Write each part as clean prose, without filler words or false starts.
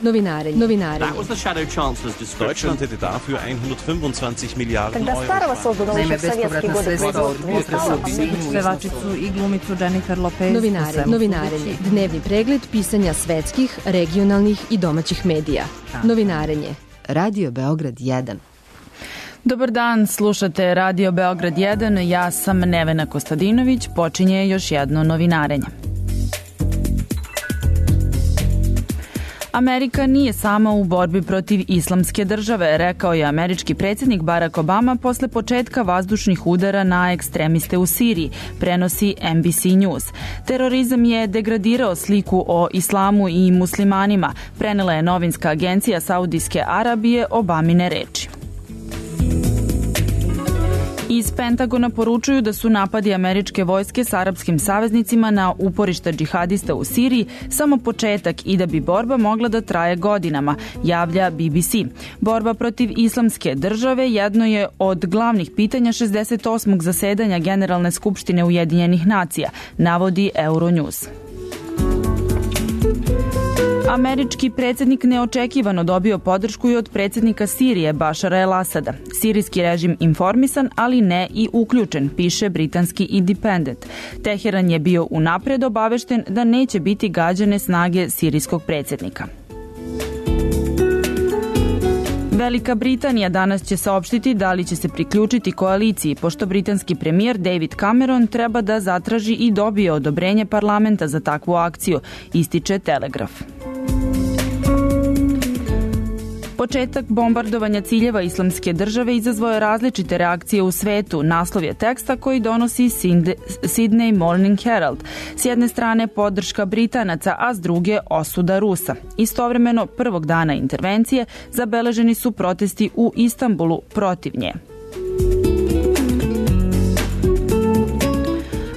That was the Shadow Chancellor's description. Deutschland hätte dafür 125 Miliarden Euro. Naime, bespovratna sredstva od pevačicu i glumicu Jennifer Lopez. Novinarenje. Dnevni pregled pisanja svetskih, regionalnih i domaćih medija. Novinarenje. Radio Beograd 1. Dobar dan, slušate Radio Beograd 1, ja sam Nevena Kostadinović, počinje još jedno novinarenje. Amerika nije sama u borbi protiv islamske države, rekao je američki predsjednik Barack Obama posle početka vazdušnih udara na ekstremiste u Siriji, prenosi NBC News. Terorizam je degradirao sliku o islamu i muslimanima, prenela je novinska agencija Saudijske Arabije Obamine reči. Iz Pentagona poručuju da su napadi američke vojske s arapskim saveznicima na uporišta džihadista u Siriji samo početak i da bi borba mogla da traje godinama, javlja BBC. Borba protiv islamske države jedno je od glavnih pitanja 68. zasedanja Generalne skupštine Ujedinjenih nacija, navodi Euronews. Američki predsjednik neočekivano dobio podršku i od predsjednika Sirije Bašara el-Asada. Sirijski režim informisan, ali ne i uključen, piše britanski Independent. Teheran je bio unapred obavešten da neće biti gađane snage sirijskog predsjednika. Velika Britanija danas će saopštiti da li će se priključiti koaliciji, pošto britanski premijer David Cameron treba da zatraži i dobije odobrenje parlamenta za takvu akciju, ističe Telegraf. Početak bombardovanja ciljeva islamske države izazvao je različite reakcije u svetu. Naslov je teksta koji donosi Sydney Morning Herald. S jedne strane podrška Britanaca, a s druge osuda Rusa. Istovremeno, prvog dana intervencije zabeleženi su protesti u Istanbulu protiv nje.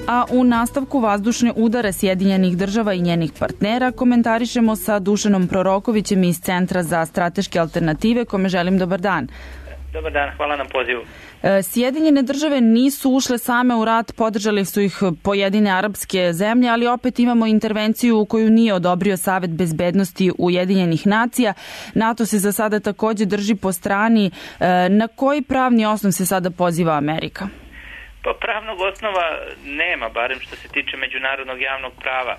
A u nastavku vazdušne udare Sjedinjenih država i njenih partnera komentarišemo sa Dušanom Prorokovićem iz Centra za strateške alternative, kome želim dobar dan. Dobar dan, hvala na pozivu. Sjedinjene države nisu ušle same u rat, podržali su ih pojedine arapske zemlje, ali opet imamo intervenciju koju nije odobrio Savet bezbednosti Ujedinjenih nacija. NATO se za sada također drži po strani. Na koji pravni osnov se sada poziva Amerika? Pa pravnog osnova nema, barem što se tiče međunarodnog javnog prava.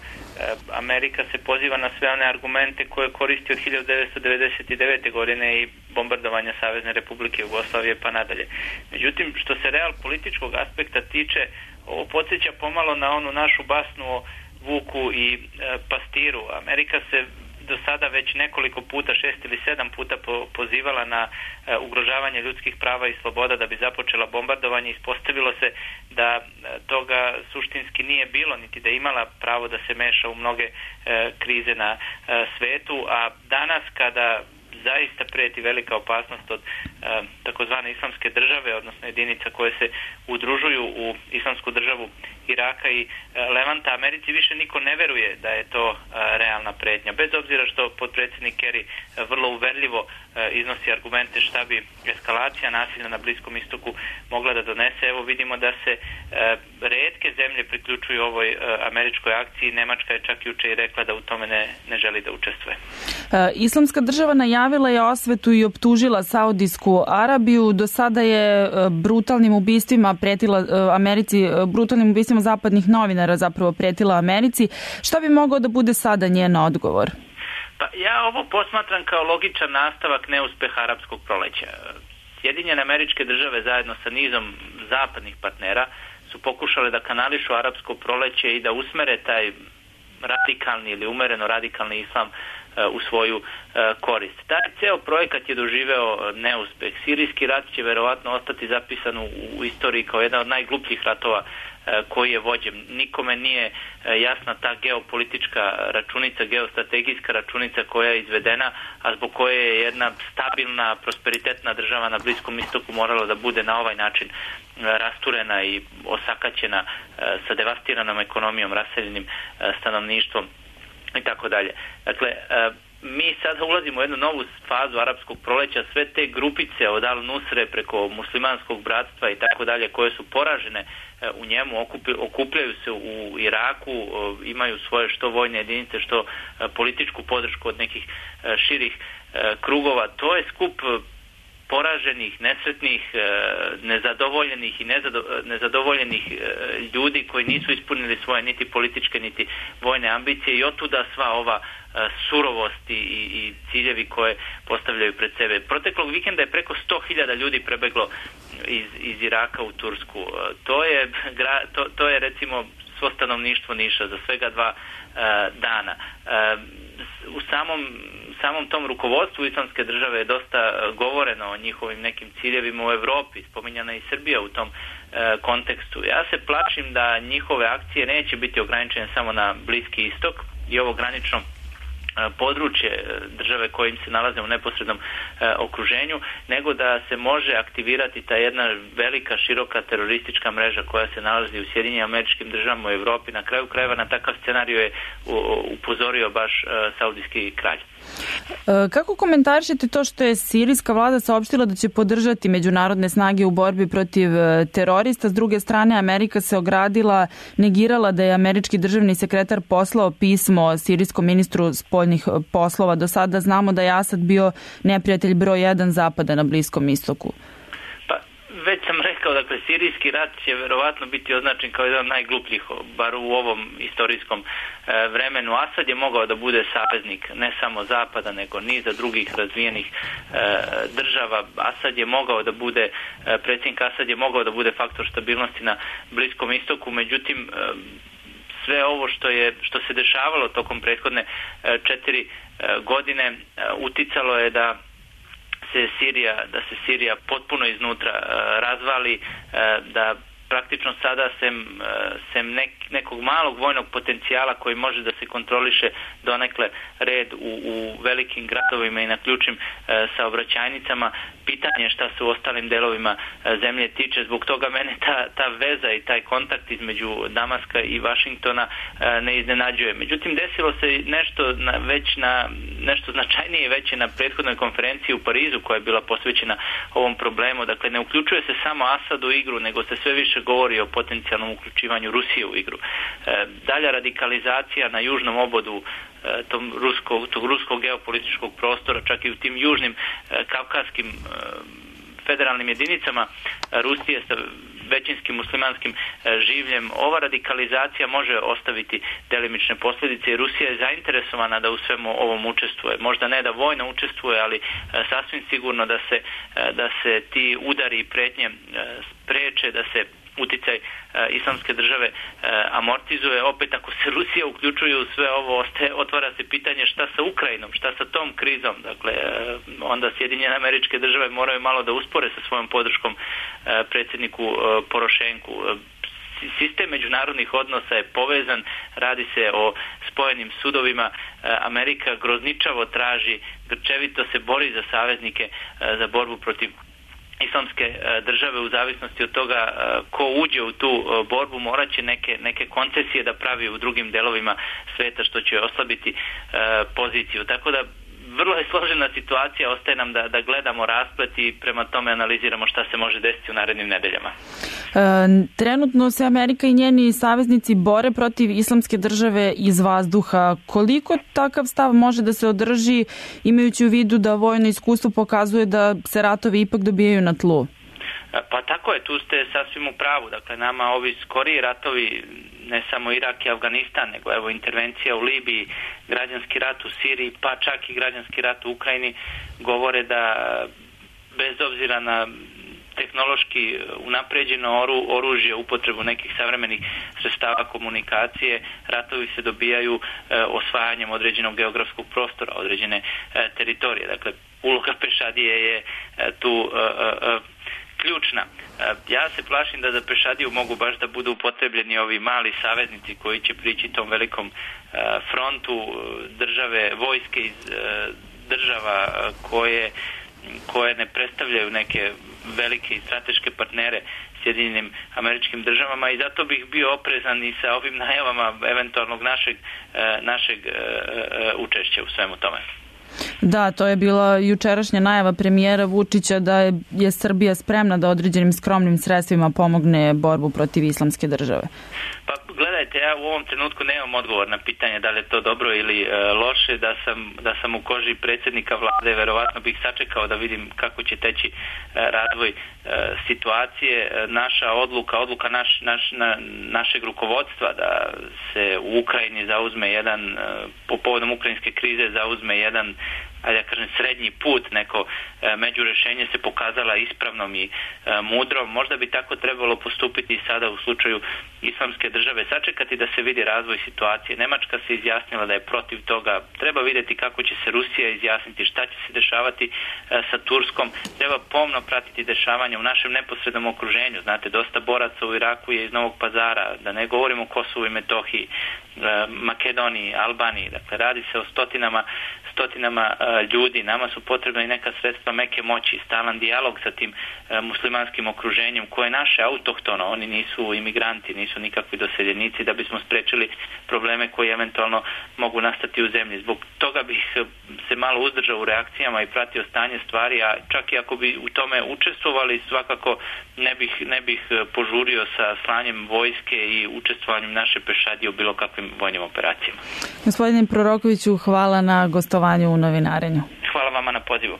Amerika se poziva na sve one argumente koje koristi od 1999. godine i bombardovanja Savezne Republike Jugoslavije pa nadalje. Međutim, što se real političkog aspekta tiče, ovo podsjeća pomalo na onu našu basnu o vuku i pastiru. Amerika se do sada već nekoliko puta, 6 ili 7 puta pozivala na ugrožavanje ljudskih prava i sloboda da bi započela bombardovanje. Ispostavilo se da toga suštinski nije bilo, niti da imala pravo da se meša u mnoge krize na svetu, a danas kada zaista preti velika opasnost od takozvane islamske države, odnosno jedinica koje se udružuju u islamsku državu Iraka i Levanta, Americi više niko ne veruje da je to realna pretnja. Bez obzira što potpredsjednik Kerry vrlo uverljivo iznosi argumente šta bi eskalacija nasilja na Bliskom istoku mogla da donese. Evo vidimo da se retke zemlje priključuju ovoj američkoj akciji. Nemačka je čak juče i rekla da u tome ne želi da učestvuje. Islamska država najavila je osvetu i optužila Saudijsku Arabiju. Do sada je brutalnim ubistvima pretila Americi, brutalnim ubistvima zapadnih novinara zapravo pretila Americi. Šta bi mogao da bude sada njen odgovor? Pa ja ovo posmatram kao logičan nastavak neuspeha arapskog proleća. Sjedinjene Američke Države zajedno sa nizom zapadnih partnera su pokušale da kanališu arapsko proleće i da usmere taj radikalni ili umereno radikalni islam u svoju korist. Taj ceo projekat je doživeo neuspeh. Sirijski rat će verovatno ostati zapisan u istoriji kao jedan od najglupljih ratova koji je vođen. Nikome nije jasna ta geopolitička računica, geostrategijska računica koja je izvedena, a zbog koje je jedna stabilna, prosperitetna država na Bliskom istoku morala da bude na ovaj način rasturena i osakaćena sa devastiranom ekonomijom, raseljenim stanovništvom i tako dalje. Dakle, mi sada ulazimo u jednu novu fazu arapskog proleća, sve te grupice od Al-Nusre preko muslimanskog bratstva i tako dalje, koje su poražene u njemu, okupljaju se u Iraku, imaju svoje što vojne jedinice, što političku podršku od nekih širih krugova. To je skup poraženih, nesretnih, nezadovoljenih i nezadovoljenih ljudi koji nisu ispunili svoje niti političke niti vojne ambicije i otuda sva ova surovost i ciljevi koje postavljaju pred sebe. Proteklog vikenda je preko 100.000 ljudi prebeglo iz Iraka u Tursku. To je recimo svo stanovništvo Niša za svega 2 dana. U samom tom rukovodstvu Islamske države je dosta govoreno o njihovim nekim ciljevima u Evropi, spominjana i Srbija u tom kontekstu. Ja se plašim da njihove akcije neće biti ograničene samo na Bliski istok i ovo granično područje države koje im se nalaze u neposrednom okruženju, nego da se može aktivirati ta jedna velika, široka teroristička mreža koja se nalazi u Sjedinjenim Američkim Državama u Evropi. Na kraju krajeva na takav scenariju je upozorio baš saudijski kralj. Kako komentarišete to što je sirijska vlada saopštila da će podržati međunarodne snage u borbi protiv terorista? S druge strane, Amerika se ogradila, negirala da je američki državni sekretar poslao pismo sirijskom ministru spoljnih poslova. Do sada znamo da je Asad bio neprijatelj broj 1 Zapada na Bliskom istoku. Već sam rekao, dakle, sirijski rat će verovatno biti označen kao jedan od najglupljih, bar u ovom istorijskom vremenu. Asad je mogao da bude saveznik ne samo Zapada, nego niza drugih razvijenih država. Predsjednik Asad je mogao da bude faktor stabilnosti na Bliskom istoku, međutim, sve ovo što se dešavalo tokom prethodne 4 godine uticalo je da se Sirija potpuno iznutra razvali, da praktično sada sem nekog malog vojnog potencijala koji može da se kontroliše donekle red u velikim gradovima i na ključnim saobraćajnicama, pitanje šta se u ostalim delovima zemlje tiče. Zbog toga mene ta veza i taj kontakt između Damaska i Vašingtona ne iznenađuje. Međutim, desilo se nešto značajnije već na prethodnoj konferenciji u Parizu koja je bila posvećena ovom problemu. Dakle, ne uključuje se samo Asad u igru, nego se sve više govori o potencijalnom uključivanju Rusije u igru. Dalja radikalizacija na južnom obodu tog ruskog geopolitičkog prostora, čak i u tim južnim kavkazskim federalnim jedinicama Rusije sa većinskim muslimanskim življem. Ova radikalizacija može ostaviti delimične posljedice i Rusija je zainteresovana da u svemu ovom učestvuje. Možda ne da vojno učestvuje, ali sasvim sigurno da se ti udari i pretnje spreče, da se uticaj Islamske države amortizuje. Opet, ako se Rusija uključuje u sve ovo, otvara se pitanje šta sa Ukrajinom, šta sa tom krizom. Dakle, onda Sjedinjene Američke Države moraju malo da uspore sa svojom podrškom predsjedniku Porošenku. Sistem međunarodnih odnosa je povezan, radi se o spojenim sudovima. Amerika grozničavo traži, grčevito se bori za saveznike za borbu protiv Islamske države. U zavisnosti od toga ko uđe u tu borbu morat će neke koncesije da pravi u drugim delovima sveta, što će oslabiti poziciju. Tako da vrlo je složena situacija, ostaje nam da gledamo rasplet i prema tome analiziramo šta se može desiti u narednim nedeljama. Trenutno se Amerika i njeni saveznici bore protiv Islamske države iz vazduha. Koliko takav stav može da se održi, imajući u vidu da vojno iskustvo pokazuje da se ratovi ipak dobijaju na tlu? Pa tako je, tu ste sasvim u pravu. Dakle, nama ovi skoriji ratovi, ne samo Irak i Afganistan, nego evo intervencija u Libiji, građanski rat u Siriji, pa čak i građanski rat u Ukrajini, govore da bez obzira na tehnološki unapređeno oružje, upotrebu nekih savremenih sredstava komunikacije, ratovi se dobijaju osvajanjem određenog geografskog prostora, određene teritorije. Dakle, uloga pešadije je tu ključna. Ja se plašim da za pešadiju mogu baš da budu upotrebljeni ovi mali saveznici koji će prići tom velikom frontu države, vojske iz država koje ne predstavljaju neke velike i strateške partnere Sjedinjenim Američkim Državama i zato bih bio oprezan i sa ovim najavama eventualnog našeg učešća u svemu tome. Da, to je bila jučerašnja najava premijera Vučića da je Srbija spremna da određenim skromnim sredstvima pomogne borbu protiv islamske države. Pa gledajte, ja u ovom trenutku nemam odgovor na pitanje da li je to dobro ili loše. Da sam u koži predsjednika vlade, verovatno bih sačekao da vidim kako će teći razvoj situacije. Naša odluka našeg rukovodstva da se u Ukrajini zauzme jedan, po povodom ukrajinske krize zauzme jedan, ajde ja kažem, srednji put, neko međurešenje se pokazala ispravnom i mudrom. Možda bi tako trebalo postupiti i sada u slučaju islamske države, sačekati da se vidi razvoj situacije. Nemačka se izjasnila da je protiv toga. Treba vidjeti kako će se Rusija izjasniti, šta će se dešavati sa Turskom. Treba pomno pratiti dešavanja u našem neposrednom okruženju. Znate, dosta boraca u Iraku je iz Novog Pazara, da ne govorimo o Kosovu i Metohiji, Makedoniji, Albaniji. Dakle, radi se o stotinama ljudi. Nama su potrebna i neka sredstva meke moći, stalan dijalog sa tim muslimanskim okruženjem koje je naše autohtono. Oni nisu imigranti, nisu nikakvi doseljenici, da bismo sprečili probleme koji eventualno mogu nastati u zemlji. Zbog toga bih se malo uzdržao u reakcijama i pratio stanje stvari, a čak i ako bi u tome učestvovali, svakako ne bih požurio sa slanjem vojske i učestvovanjem naše pešadije u bilo kakvim vojnim operacijama. Gospodine Prorokoviću, hvala na gostovanju u Novinarenju. Hvala vama na pozivu.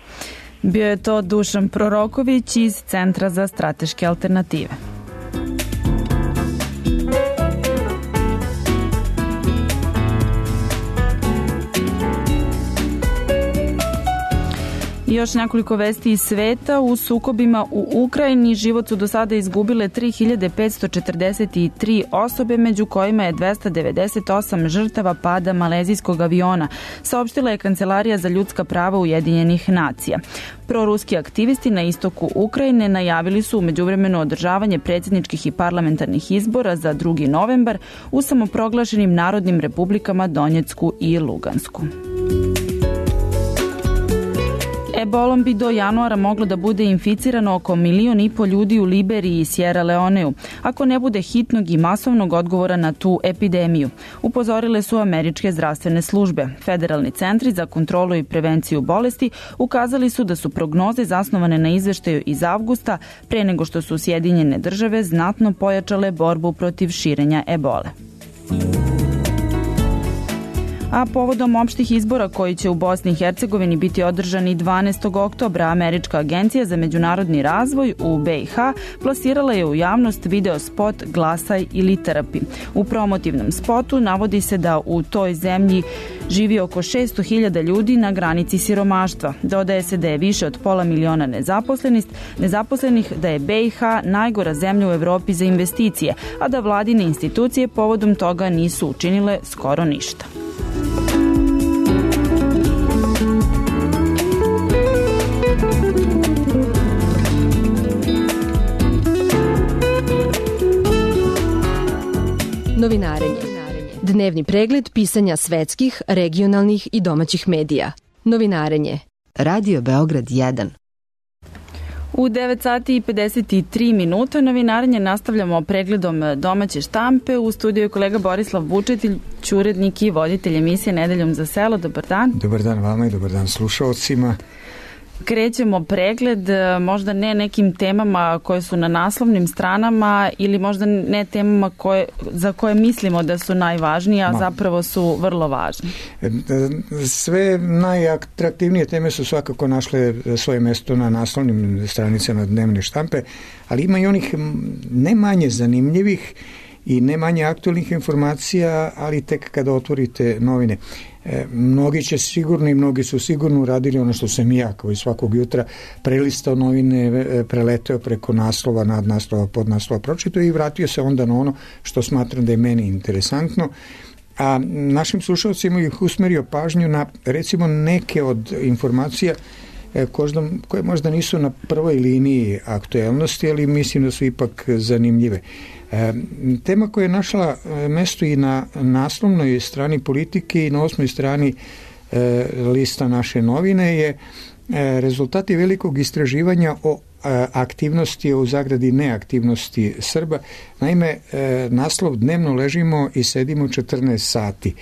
Bio je to Dušan Proroković iz Centra za strateške alternative. Još nekoliko vesti iz sveta. U sukobima u Ukrajini život su do sada izgubile 3543 osobe, među kojima je 298 žrtava pada malezijskog aviona, saopštila je Kancelarija za ljudska prava Ujedinjenih nacija. Proruski aktivisti na istoku Ukrajine najavili su u međuvremenu održavanje predsjedničkih i parlamentarnih izbora za 2. novembar u samoproglašenim narodnim republikama Donjecku i Lugansku. Ebolom bi do januara moglo da bude inficirano oko 1,5 miliona ljudi u Liberiji i Sierra Leoneu, ako ne bude hitnog i masovnog odgovora na tu epidemiju, upozorile su američke zdravstvene službe. Federalni centri za kontrolu i prevenciju bolesti ukazali su da su prognoze zasnovane na izveštaju iz avgusta, pre nego što su Sjedinjene države znatno pojačale borbu protiv širenja ebole. A povodom opštih izbora koji će u Bosni i Hercegovini biti održani 12. oktobra, Američka agencija za međunarodni razvoj u BiH plasirala je u javnost video spot Glasaj ili trpi. U promotivnom spotu navodi se da u toj zemlji živi oko 600.000 ljudi na granici siromaštva. Dodaje se da je više od 500.000 nezaposlenih, da je BiH najgora zemlja u Evropi za investicije, a da vladine institucije povodom toga nisu učinile skoro ništa. Novinarenje. Dnevni pregled pisanja svetskih, regionalnih i domaćih medija. Novinarenje. Radio Beograd 1. U 9 sati i 53 minuta novinarenje nastavljamo pregledom domaće štampe. U studiju je kolega Borislav Vučetilj, urednik i voditelj emisije Nedeljom za selo. Dobar dan. Dobar dan vama i dobar dan slušalcima. Krećemo pregled, možda ne nekim temama koje su na naslovnim stranama ili možda ne temama za koje mislimo da su najvažnije, a zapravo su vrlo važne. Sve najatraktivnije teme su svakako našle svoje mjesto na naslovnim stranicama dnevne štampe, ali ima i onih ne manje zanimljivih i ne manje aktualnih informacija, ali tek kada otvorite novine. Mnogi će sigurno i mnogi su sigurno uradili ono što sam i ja, kao i svakog jutra, prelistao novine, preleteo preko naslova, nadnaslova, podnaslova, pročitao i vratio se onda na ono što smatram da je meni interesantno. A našim slušalcima ih usmerio pažnju na, recimo, neke od informacija koje možda nisu na prvoj liniji aktuelnosti, ali mislim da su ipak zanimljive. Tema koja je našla mesto i na naslovnoj strani Politike i na 8. strani lista naše novine je rezultati velikog istraživanja o aktivnosti, u zagradi neaktivnosti Srba. Naime, naslov dnevno ležimo i sedimo 14 sati.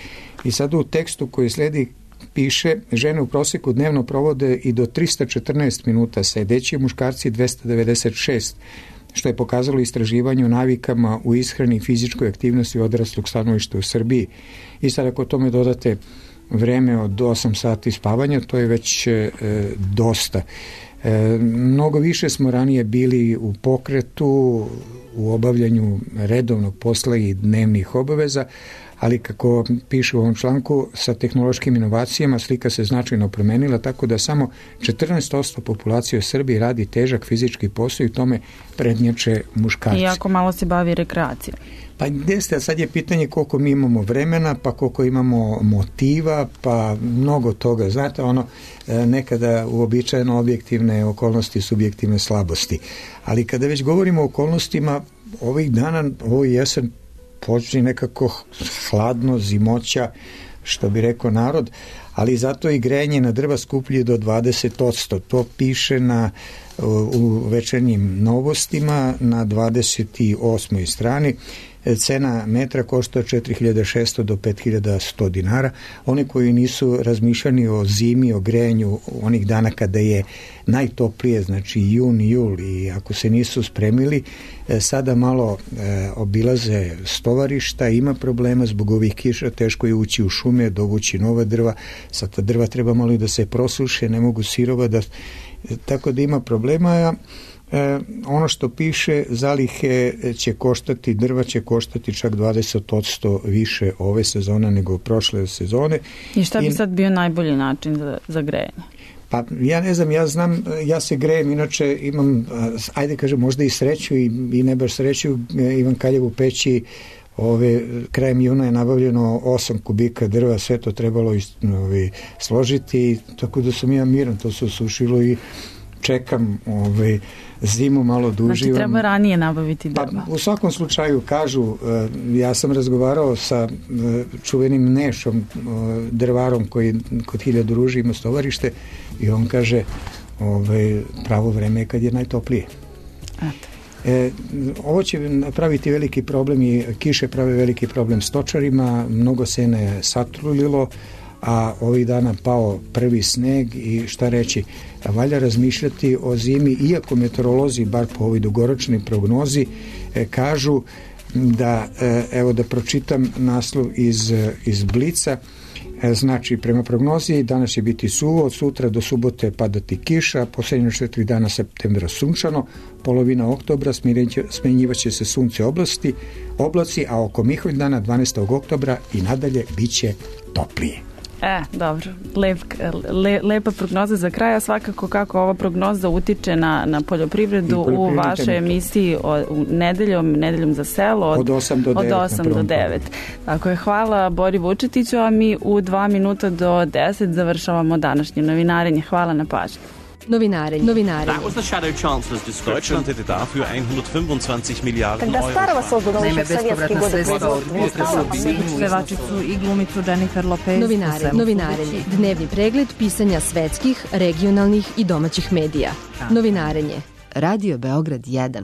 I sad u tekstu koji sledi piše, žene u prosjeku dnevno provode i do 314 minuta sedeći, muškarci 296, što je pokazalo istraživanje o navikama u ishrani i fizičkoj aktivnosti odraslog stanovništva u Srbiji. I sad ako tome dodate vreme od 8 sati spavanja, to je već dosta. Mnogo više smo ranije bili u pokretu, u obavljanju redovnog posla i dnevnih obaveza, ali kako piše u ovom članku, sa tehnološkim inovacijama slika se značajno promenila, tako da samo 14% populacije u Srbiji radi težak fizički posao i tome prednjače muškarci. Iako malo se bavi rekreacijom. Pa jeste, a sad je pitanje koliko mi imamo vremena, pa koliko imamo motiva, pa mnogo toga. Znate, nekada uobičajeno objektivne okolnosti, subjektivne slabosti. Ali kada već govorimo o okolnostima, ovih dana, ovo jesen, počne nekako hladno, zimoća, što bi rekao narod, ali zato i grejanje na drva skuplji do 20%. To piše u večernjim novostima na 28. strani. Cena metra košta 4.600 do 5.100 dinara. Oni koji nisu razmišljani o zimi, o grejanju onih dana kada je najtoplije, znači jun, jul, i ako se nisu spremili, sada malo obilaze stovarišta, ima problema zbog ovih kiša, teško je ući u šume, dovući nova drva, sad ta drva treba malo i da se prosuše, ne mogu sirova, tako da ima problema. Ono što piše, zalihe će koštati, drva će koštati čak 20% više ove sezone nego prošle sezone. I šta bi sad bio najbolji način za grejanje? Pa ja ne znam, ja se grejem, inače imam, ajde kažem, možda i sreću i ne baš sreću, Ivan Kaljev u peći krajem juna je nabavljeno 8 kubika drva, sve to trebalo složiti, tako da sam ja miran, to se osušilo i čekam zimu malo duži. Znači treba ranije nabaviti drva. Pa, u svakom slučaju kažu, ja sam razgovarao sa čuvenim Nešom, drvarom koji kod 1000 ruži ima stovarište, i on kaže pravo vreme je kad je najtoplije. Ovo će napraviti veliki problem i kiše prave veliki problem stočarima, mnogo sena je satrulilo, a ovih dana pao prvi sneg i šta reći, valja razmišljati o zimi, iako meteorolozi, bar po ovoj dugoročnoj prognozi, kažu da, evo da pročitam naslov iz Blica, znači prema prognozi danas će biti suvo, od sutra do subote padati kiša, posljednje 4 dana septembra sunčano, polovina oktobra smenjivaće se sunce oblaci, a oko Miholj dana 12. oktobra i nadalje bit će toplije. Dobro. Lepa prognoza za kraj, a svakako kako ova prognoza utiče na poljoprivredu u vašoj emisiji nedeljom za selo od 8 do 9. Tako je, hvala Bori Vučetiću, a mi u 2 minuta do 10 završavamo današnje novinarenje. Hvala na pažnju. Novinarenje. That was the Shadow Chancellor's description. Deutschland hätte dafür 125 Miliarden Euro. Naime, bespovratna sredstva od Pevačicu i glumicu Jennifer Lopez. Novinarenje. Dnevni pregled pisanja svetskih, regionalnih i domaćih medija. Novinarenje. Radio Beograd 1.